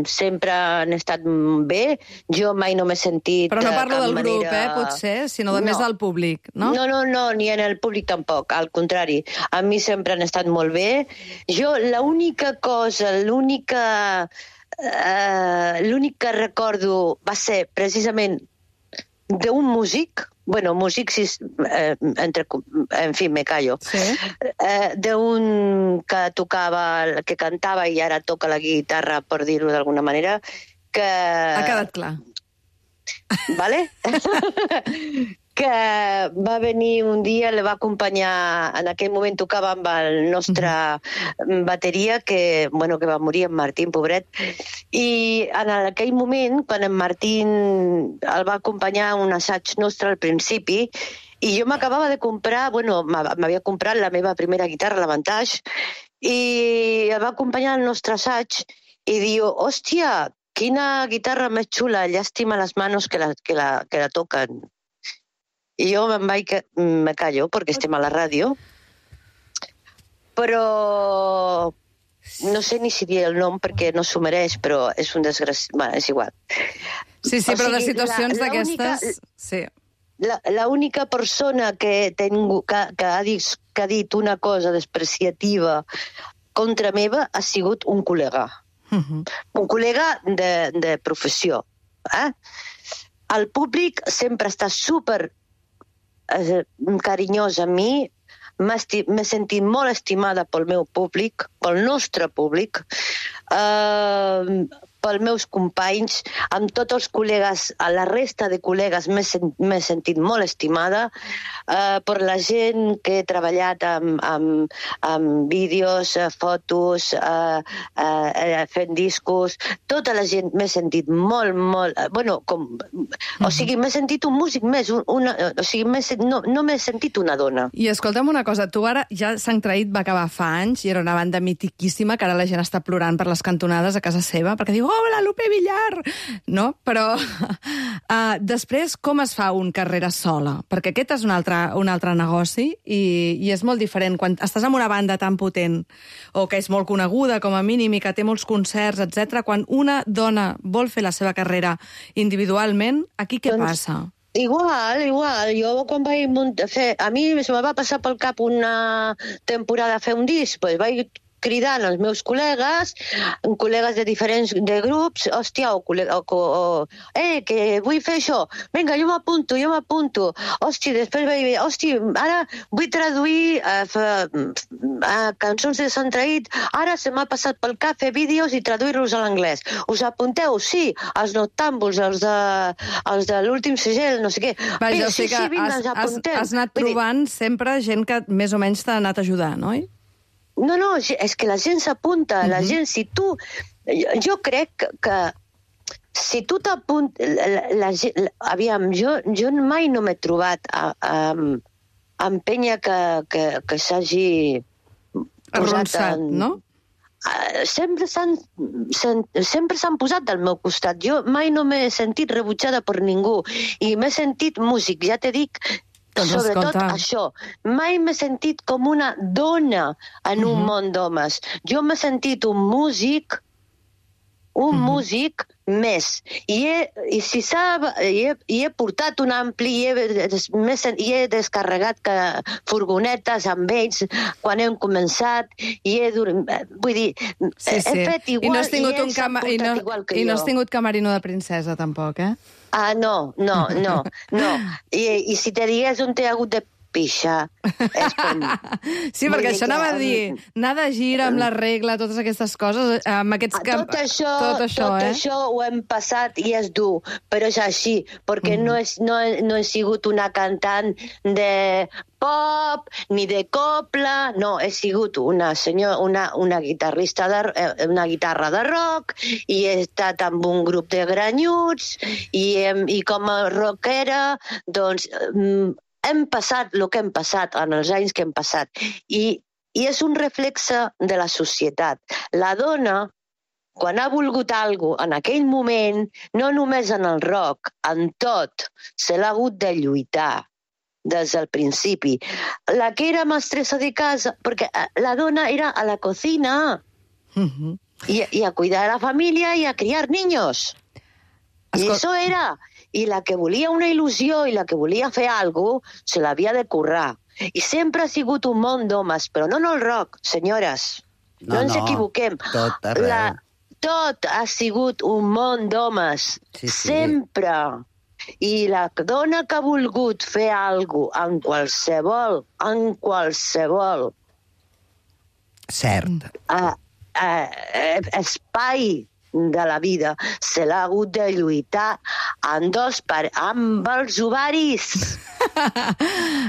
sempre han estat bé. Jo mai no m'he sentit... Però no parlo del grup, potser, sinó més del públic, no? No, ni en el públic tampoc, al contrari. A mi sempre han estat molt bé. Jo l'únic que recordo va ser precisament d'un músic, en fi, me callo, d'un que tocava, que cantava i ara toca la guitarra, per dir-ho d'alguna manera, que... Ha quedat clar. Vale? Que va venir un dia, le va acompanyar, en aquell moment tocava amb el nostre bateria, que va morir, en Martín, pobret, i en aquell moment, quan en Martín el va acompanyar a un assaig nostre al principi, i jo m'acabava de comprar, m'havia comprat la meva primera guitarra, l'Avantage, i el va acompanyar al nostre assaig i diu, hòstia, quina guitarra més xula, llàstima les manos que la toquen. I jo me callo, perquè estem a la ràdio, però no sé ni si dir el nom perquè no s'ho mereix, però és un desgraciat. És igual. Sí, sí, O però de sigui, situacions la única- d'aquestes... Sí. La única persona que ha dit una cosa despreciativa contra meva ha sigut un col·lega. Un col·lega de professió. El públic sempre està super carinyós amb mi. M'he sentit molt estimada pel meu públic, pel nostre públic, pels meus companys, amb tots els col·legues, a la resta de col·legues m'he sentit molt estimada, per la gent que he treballat amb vídeos, fotos, fent discos, tota la gent m'he sentit molt... Bueno, o sigui, m'he sentit un músic més, o sigui, no m'he sentit una dona. I escolta'm una cosa, tu ara ja Sant Traït va acabar fa anys i era una banda mitiquíssima que ara la gent està plorant per les cantonades a casa seva perquè diu, hola, Lupe Villar! No? Però després com es fa un carrera sola? Perquè aquest és un altre negoci i és molt diferent. Quan estàs en una banda tan potent o que és molt coneguda com a mínim i que té molts concerts, etc. Quan una dona vol fer la seva carrera individualment, aquí què passa? Igual. Jo quan vaig fer... A mi me va passar pel cap una temporada a fer un disc, doncs vaig cridant els meus col·legues de diferents grups, hòstia, que vull fer això, vinga, jo m'apunto, hòstia, després vaig dir, hòstia, ara vull traduir cançons de Sant Traït, ara se m'ha passat pel cap fer vídeos i traduir-los a l'anglès. Us apunteu? Sí, els noctàmbuls, els de l'últim segell, no sé què. Vaja, o sigui que has anat trobant sempre gent que més o menys t'ha anat ajudant, oi? No, és que la gent s'apunta, la gent, si tu... Jo crec que si tu t'apuntes... Aviam, jo mai no m'he trobat amb penya que s'hagi arronsat, no? Sempre s'han posat al meu costat. Jo mai no m'he sentit rebutjada per ningú i m'he sentit músic, ja t'he dit... Sobretot això, mai m'he sentit com una dona en un món d'homes. Jo m'he sentit un músic més. I si sap, he portat un ampli, i he descarregat furgonetes amb ells quan hem començat, vull dir, he fet igual, i ells s'han portat igual que jo. I no has tingut camerino de princesa, tampoc, eh? No. I si te digués on t'he hagut de pixar, és com... Sí, perquè això anava a dir, anar de gira amb la regla, totes aquestes coses, amb aquests... Tot això ho hem passat i és dur, però és així, perquè no he sigut una cantant de pop, ni de copla, no, he sigut una guitarrista, una guitarra de rock, i he estat amb un grup de granyuts, i com a rockera, doncs... hem passat el que hem passat en els anys que hem passat i és un reflexe de la societat. La dona, quan ha volgut alguna cosa en aquell moment, no només en el rock, en tot, se l'ha hagut de lluitar des del principi. La que era mestressa de casa, perquè la dona era a la cocina i a cuidar de la família i a criar niños. I això era... I la que volia una il·lusió i la que volia fer alguna cosa, se l'havia de currar. I sempre ha sigut un món d'homes, però no en el rock, senyores. No ens equivoquem. Tot arreu. Tot ha sigut un món d'homes. Sí. Sempre. I la dona que ha volgut fer alguna cosa en qualsevol cert espai de la vida, se l'ha hagut de lluitar amb els ovaris.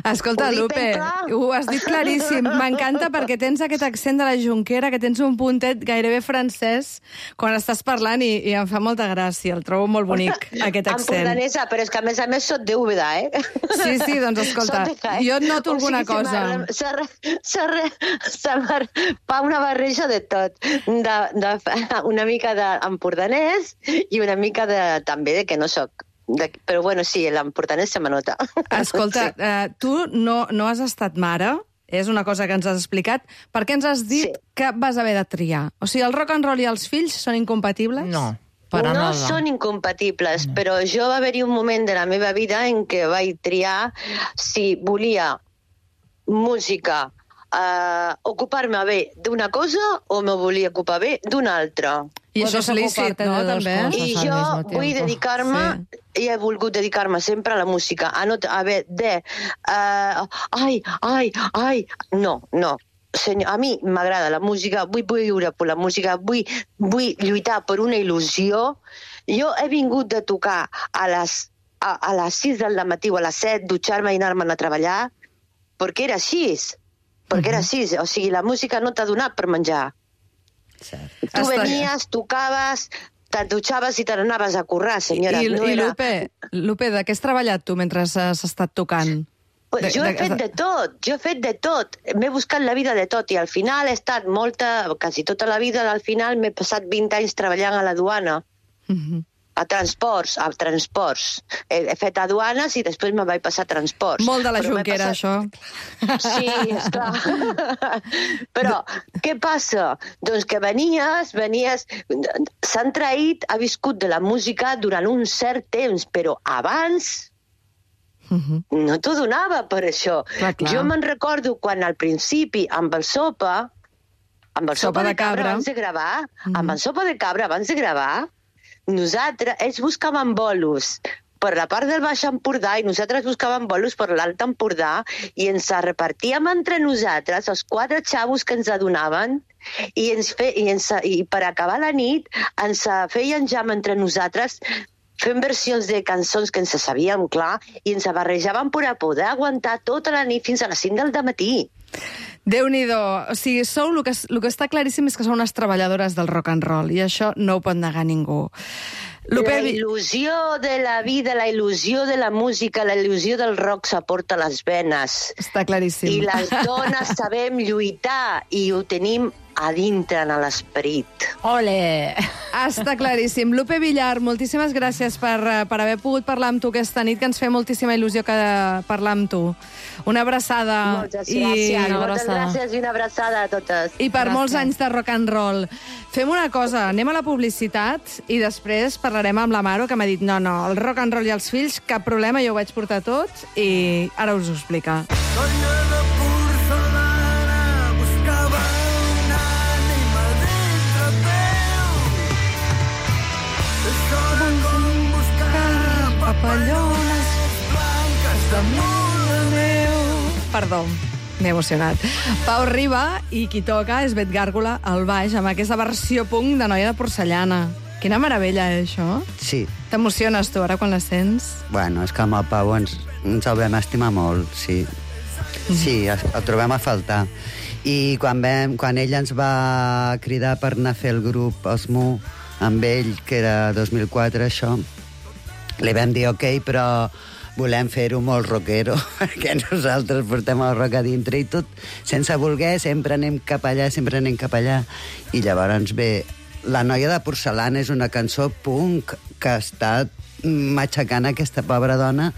Escolta, Lupe, ho has dit claríssim. M'encanta perquè tens aquest accent de la Jonquera, que tens un puntet gairebé francès quan estàs parlant i em fa molta gràcia. El trobo molt bonic, aquest accent. Empordanesa, però és que a més soc d'Úbeda, eh? Sí, doncs escolta, jo et noto alguna cosa. Fa una barreja de tot. Una mica d'empordanès i una mica també de que no soc. Però bueno, sí, l'emportanès se m'anota. Escolta, tu no has estat mare, és una cosa que ens has explicat. Per què ens has dit que vas haver de triar? O sigui, el rock and roll i els fills són incompatibles? No. Para no nada. són incompatibles, però jo va haver-hi un moment de la meva vida en què vaig triar si volia música, ocupar-me bé d'una cosa o me volia ocupar bé d'una altra. I això és lícit, no, també? I jo vull dedicar-me, i he volgut dedicar-me sempre a la música, a no haver de... No. Senyor, a mi m'agrada la música, vull viure per la música, vull lluitar per una il·lusió. Jo he vingut de tocar a les 6 del matí o a les 7, dutxar-me i anar-me'n a treballar, perquè era així. Perquè era així. O sigui, la música no t'ha donat per menjar. Tu venies, tocaves, te'n dutxaves i te n'anaves a currar, senyora. I Lupe, de què has treballat tu mentre has estat tocant? Jo he fet de tot. M'he buscat la vida de tot i al final he estat quasi tota la vida, al final m'he passat 20 anys treballant a la duana. A transports. He fet aduanes i després me vaig passar a transports. Molt de la Junquera, això. Sí, esclar. Però què passa? Doncs que venies... S'han traït, ha viscut de la música durant un cert temps, però abans no t'ho donava per això. Clar. Jo me'n recordo quan al principi amb el Sopa de Cabra abans de gravar, nosaltres, ells buscaven bolos per la part del Baix Empordà i nosaltres buscàvem bolos per l'Alt Empordà i ens repartíem entre nosaltres els 4 xavos que ens adonaven i per acabar la nit ens feien jam entre nosaltres fent versions de cançons que ens sabíem, clar, i ens barrejaven per a poder aguantar tota la nit fins a les 5 del matí. Déu-n'hi-do. O sigui, el que està claríssim és que sou unes treballadores del rock and roll, i això no ho pot negar ningú. La il·lusió de la vida, la il·lusió de la música, la il·lusió del rock s'aporta a les venes. Està claríssim. I les dones sabem lluitar i ho tenim a dintre en l'esperit. Ole! Està claríssim. Lupe Villar, moltíssimes gràcies per haver pogut parlar amb tu aquesta nit, que ens fa moltíssima il·lusió parlar amb tu. Una abraçada. Moltes gràcies. Moltes gràcies i una abraçada a totes. I per molts anys de rock and roll. Fem una cosa, anem a la publicitat i després parlarem amb l'Amaro, que m'ha dit no, el rock and roll i els fills, cap problema, jo ho vaig portar tot i ara us ho explica. Colla de porcelana buscava una ànima dintre teu. És hora com buscar papallones blanques damunt la neu. Perdó, m'he emocionat. Pau Riba i qui toca és Bet Gàrgola al baix, amb aquesta versió punk de Noia de porcellana. Quina meravella, això? Sí. T'emociones tu ara quan la sents? Bueno, és que amb el Pau ens el vam estimar molt, sí. Sí, el trobem a faltar. I quan ell ens va cridar per anar a fer el grup Osmo amb ell, que era 2004, això, li vam dir ok, però volem fer-ho molt rockero, perquè nosaltres portem el rock a dintre i tot, sense voler, sempre anem cap allà, I llavors ve La noia de porcelana és una cançó punk que està matxacant aquesta pobra dona.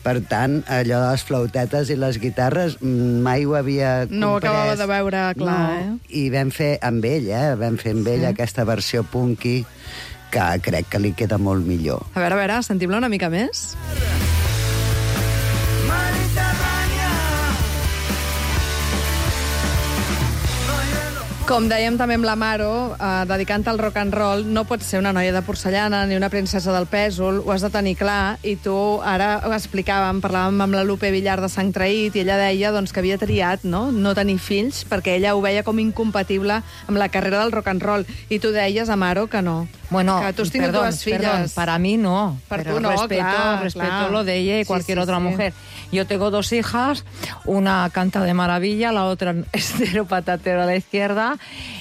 Per tant, allò de les flautetes i les guitarres mai ho havia comprès. No ho acabava de veure clar, I vam fer amb ell, aquesta versió punky que crec que li queda molt millor. A veure, sentim-la una mica més. Com dèiem també amb l'Amaro, dedicant al rock and roll, no pots ser una noia de porcellana ni una princesa del pèsol, ho has de tenir clar, i tu ara ho explicàvem, parlàvem amb la Lupe Villar de Sang Traït, i ella deia doncs, que havia triat no tenir fills, perquè ella ho veia com incompatible amb la carrera del rock and roll, i tu deies, Amaro, que no. Bueno, que tú has tenido perdón, dues filles. Perdón, para mí no. Per pero tu no, respeto lo de ella y cualquier otra mujer. Yo tengo 2 hijas, una canta de maravilla, la otra estero patatero a la izquierda,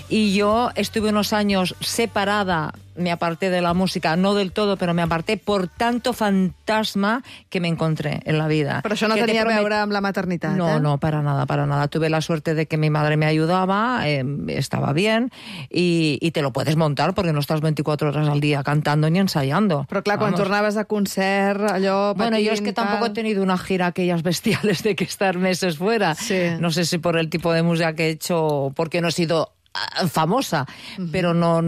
y yo estuve unos años separada, me aparté de la música, no del todo, pero me aparté por tanto fantasma que me encontré en la vida. Però això no tenia a veure amb la maternitat, No, para nada. Tuve la suerte de que mi madre me ayudaba, estaba bien, y te lo puedes montar porque no estás 24 horas al día cantando ni ensayando. Però clar, quan tornaves a concert, allò... Bueno, yo es que tampoco he tenido una gira aquellas bestiales de que estar meses fuera. Sí. No sé si por el tipo de música que he hecho, porque no he sido famosa, pero no,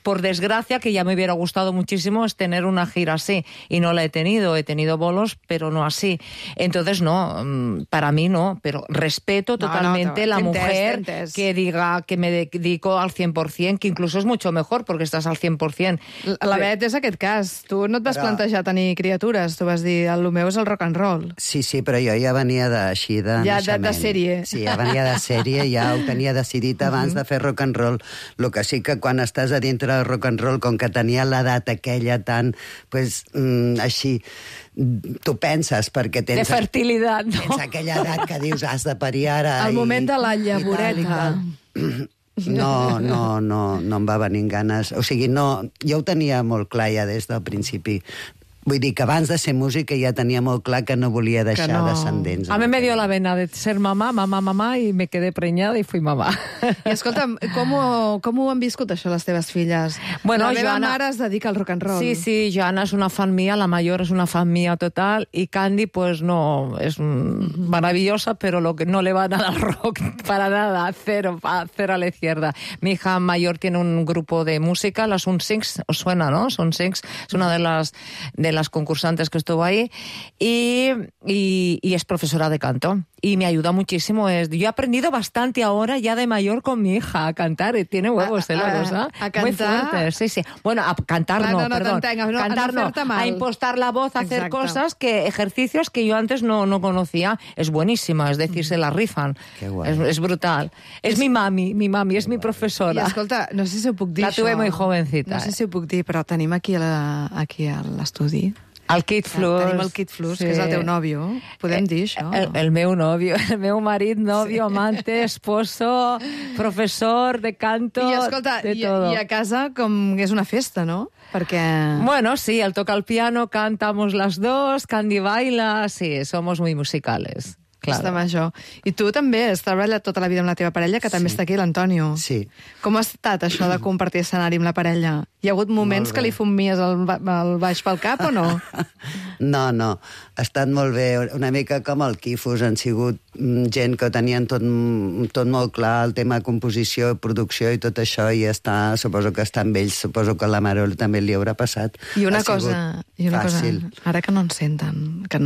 por desgracia, que ya me hubiera gustado muchísimo es tener una gira así, y no la he tenido bolos, pero no así. Entonces, no, para mí no, pero respeto totalmente la mujer que diga que me dedico al 100%, que incluso es mucho mejor, porque estás al 100%. La Bet és aquest cas. Tu no et vas plantejar tenir criatures, tu vas dir, el meu és el rock and roll. Sí, però jo ja venia així de Ja naixement. de sèrie. Sí, ja venia de sèrie, ja ho tenia decidit abans de fer rock and roll. Lo que sí que quan estàs a dintre del rock and roll, com que tenia l'edat aquella tan, pues, així, tu penses perquè tens... De fertilitat, no? Tens aquella edat que dius, has de parir ara... El moment de la llavoreta. No em va venir ganes. O sigui, no, jo ho tenia molt clar ja des del principi. Vull dir que abans de ser música ja tenia molt clar que no volia deixar descendents. A mí me dio la vena de ser mamá, y me quedé preñada y fui mamá. I escolta'm, com ho han viscut això les teves filles? Bueno, la meva Joana... mare es dedica al rock and roll. Sí, Joana es una fan mía, la mayor es una fan mía total, y Candy pues no, es maravillosa, pero lo que no le va nada al rock, para nada, cero a la izquierda. Mi hija mayor tiene un grupo de música, las Sunsings, os suena, ¿no? Sunsings es una de las concursantes que estuvo ahí, y es profesora de canto. Y me ayuda muchísimo. Yo he aprendido bastante ahora, ya de mayor, con mi hija a cantar. Y tiene huevos, la cosa. A cantar. Muy fuerte, sí. Bueno, a cantar perdón. Cantar no, a impostar la voz, a hacer cosas, ejercicios que yo antes no conocía. Es buenísima, es decir, se la rifan. Qué guay. Es brutal. Es mi mami, es mi profesora. I escolta, no sé si ho puc dir, La tuve muy jovencita. No sé si ho puc dir, però tenim aquí a l'estudi. El Kid Flus. Tenim el Kid Flus, que és el teu nòvio. Podem dir això? El meu nòvio, el meu marit, nòvio, amante, esposo, professor de canto, I escolta, de todo. I a casa com és una festa, no? Perquè... Bueno, sí, él toca el piano, cantamos las dos, Candy baila, sí, somos muy musicales. Claro. Està major. I tu també has treballat tota la vida amb la teva parella, que també està aquí, l'Antonio. Sí. Com ha estat això de compartir escenari amb la parella? Hi ha hagut moments que li fumies el baix pel cap o no? No, ha estat molt bé. Una mica com el Quifus, han sigut gent que tenien tot molt clar, el tema de composició, producció i tot això, i suposo que està amb ells, suposo que a la Marol també li haurà passat. I una cosa, ara que no ens senten, que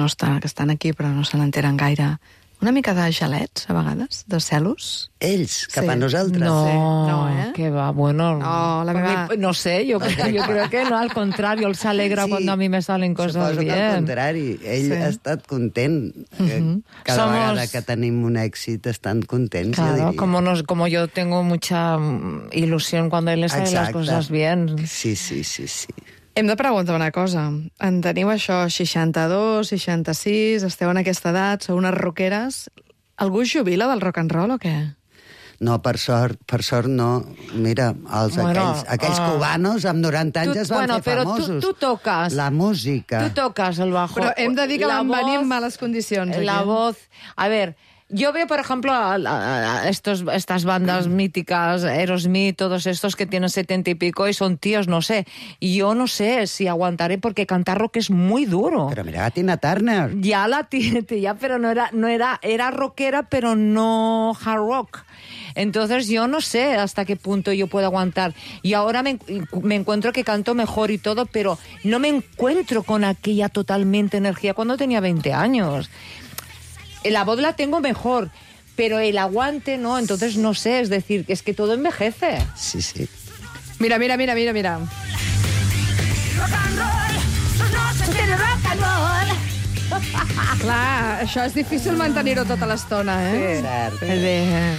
estan aquí però no se n'enteren gaire, una mica de gelets, a vegades, de celos? Ells, cap a nosaltres? No, Sí. No, que va, bueno... No, la meva... No sé, yo creo que no, al contrario, él se alegra cuando a mí me salen cosas suposo bien. que al contrari, ell ha estat content. Cada vegada que tenim un èxit estan contents, jo Claro, diria. como yo tengo mucha ilusión cuando él le salen las Exacte. cosas bien. Sí. Hem de preguntar una cosa. En teniu això, 62, 66, esteu en aquesta edat, sou unes rockeres. Algú es jubila del rock and roll o què? No, per sort no. Mira, aquells cubanos amb 90 anys es van fer famosos. Tú tocas. La música. Tú tocas el bajo. Però hem de dir que van venir en males condicions. La aquí. voz... A ver... Yo veo, por ejemplo, a estas bandas míticas, Aerosmith, todos estos que tienen 70 y pico y son tíos, no sé. Y yo no sé si aguantaré porque cantar rock es muy duro. Pero mira a Tina Turner. Pero era rockera, pero no hard rock. Entonces yo no sé hasta qué punto yo puedo aguantar. Y ahora me encuentro que canto mejor y todo, pero no me encuentro con aquella totalmente energía cuando tenía 20 años. La voz la tengo mejor, pero el aguante no, entonces no sé, es decir, es que todo envejece. Sí. Mira. Rock and roll, sus noches tiene rock and roll. Clar, això és difícil mantenir-ho tota l'estona, eh? Cert. Bé.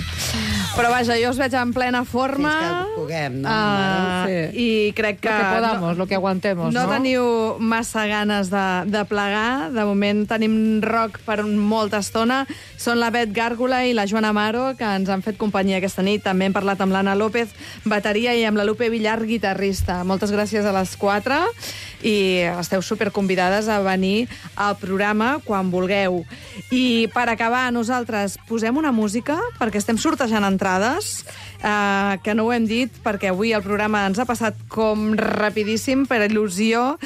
Però vaja, jo us veig en plena forma. Fins que puguem, no, Mare? I crec que... Lo que podamos, lo que aguantemos, no ¿no? teniu massa ganes de plegar. De moment tenim rock per molta estona. Són la Bet Gàrgola i la Joana Amaro, que ens han fet companyia aquesta nit. També hem parlat amb l'Anna López, bateria, i amb la Lupe Villar, guitarrista. Moltes gràcies a les 4 i esteu superconvidades a venir al programa quan vulgueu. I per acabar, nosaltres posem una música, perquè estem sortejant entrades, que no ho hem dit, perquè avui el programa ens ha passat com rapidíssim per il·lusió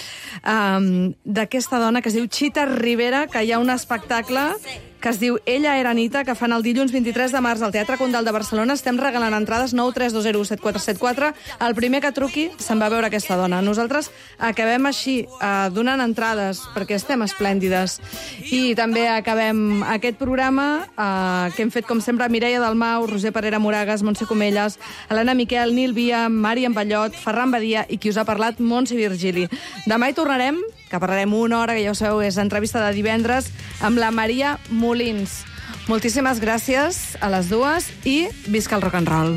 d'aquesta dona que es diu Chita Rivera, que hi ha un espectacle que es diu Ella era Anita, que fan el dilluns 23 de març al Teatre Condal de Barcelona. Estem regalant entrades 932017474. El primer que truqui se'n va veure aquesta dona. Nosaltres acabem així, donant entrades, perquè estem esplèndides. I també acabem aquest programa que hem fet, com sempre, Mireia Dalmau, Roger Parera Moragas, Montse Comelles, Helena Miquel, Nil Via, Màriam Ballot, Ferran Badia i qui us ha parlat, Montse Virgili. Demà hi tornarem, que parlarem una hora, que ja ho sabeu, és entrevista de divendres, amb la Maria Molins. Moltíssimes gràcies a les dues i visca el rock and roll.